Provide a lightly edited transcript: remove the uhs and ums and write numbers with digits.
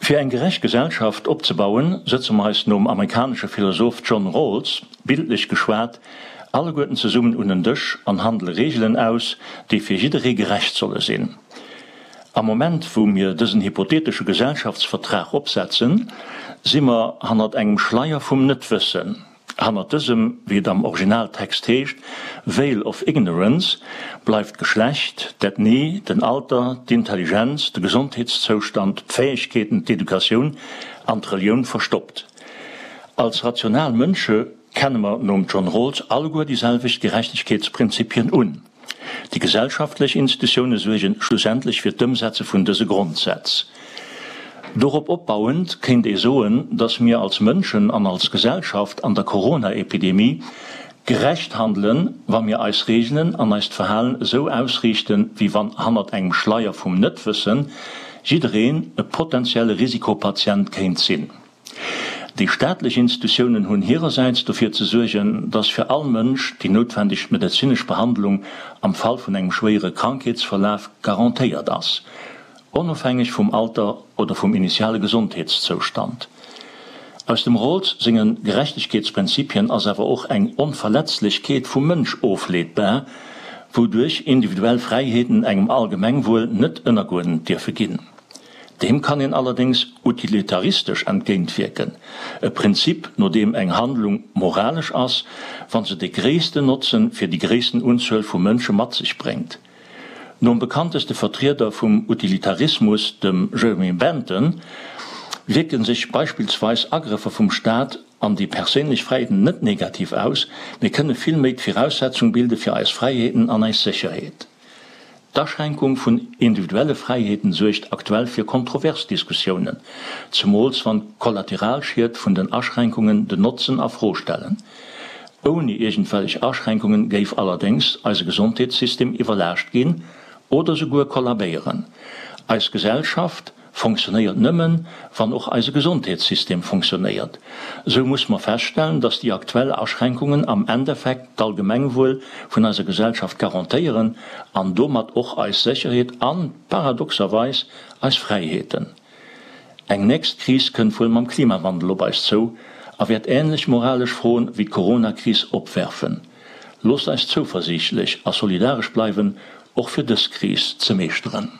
Fir eng gerecht Gesellschaft opzebauen, sëtze mer eis nom amerikanesche Philosoph John Rawls, bildlech geschwat, alleguerten zesummen un en Dësch an handele Reegelen aus, déi fir jidderee gerecht solle sinn. Am Moment wou mir dësen hypotheetesche Gesellschaftsvertrag opsetzen, si mer hannert engem Schleier vum Net-Wëssen. Hannert dësem, wéi et am Originaltext heescht, veil of ignorance, bleift d'Geschlecht, d'Ethnie, den Alter, d'Intelligenz, de Gesondheetszoustand, d'Fäegkeeten, d'Educatioun an d'Relioun verstoppt. Als rational Mënsche kenne mer nom John Rawls alleguer déi selwecht Gerechtegkeetsprinzipien un. Déi gesellschaftlech Institutioune suerge schlussendlech fir d'Ëmsetze vun dëse Grondsätz. Dorop opbauend kéint ee soen, datt mir als Mënschen an als Gesellschaft an der Corona-Epidemie gerecht handelen, wa mir eis Reegelen an eist Verhalen esou ausriichten, wéi wann hannert engem Schleier vum Net-Wëssen jiddereen e potentielle Risikopatient kéint sinn. Déi staatlech Institutiounen hunn hirersäits dofir ze suergen, dass fir all Mënsch déi noutwendeg medezinesch Behandlung am Fall vun engem schwéiere Krankheetsverlaf garantéiert ass, onofhängeg vum Alter oder vum initiale Gesondheetszoustand. Aus dem Rawls senge Gerechtegkeetsprinzipien ass awer och eng Onverletzlechkeet vum Mënsch ofleetbar, wouduerch individuell Fräiheeten engem Allgemengwuel net ënnergeuerdent dierfe ginn. Deem kann een allerdéngs utilitaristesch entgéintwierken, e Prinzip, no deem eng Handlung moralesch ass, wa se de gréissten Notzen fir déi gréissten Unzuel vu Mënsche mat sech bréngt. Nom bekannteste Vertrieder vum Utilitarismus, dem Jeremy Bentham, wierke sech beispillsweis Agrëffer vum Staat an déi perséinlech Fräiheeten net negativ aus, mee kënne villméi d'Viraussetzung bilde fir eis Fräiheeten an eis Sécherheet. D'Aschränkung vun individuelle Fräiheeten suergt aktuell fir kontrovers Diskussiounen, zemools wann d'Kollateralschied vun den Aschränkungen den Notzen a Fro stellen. Ouni iergendwellech Aschränkungen géif allerdéngs eise Gesondheetssystem iwwerlaascht ginn oder souguer kollabéieren. Eis Gesellschaft Fonctionnéiert nëmmen, wann och eise Gesondheetssystem fonctionnéiert. Esou muss mer feststellen, dass déi aktuell Aschränkungen am Endeffekt d'Allgemengwuel vun eiser Gesellschaft garantéieren an domat och eis Sécherheet an, paradoxerweis, eis Fräiheeten. Eng nächst Kris kënnt wuel mam Klimawandel op eis zou a wäert änlech moralesch Froen wéi d'Coronakris opwerfen. Loosst eis zouversiichtlech a solidaresch bleiwen, och fir dës Kris ze meeschteren.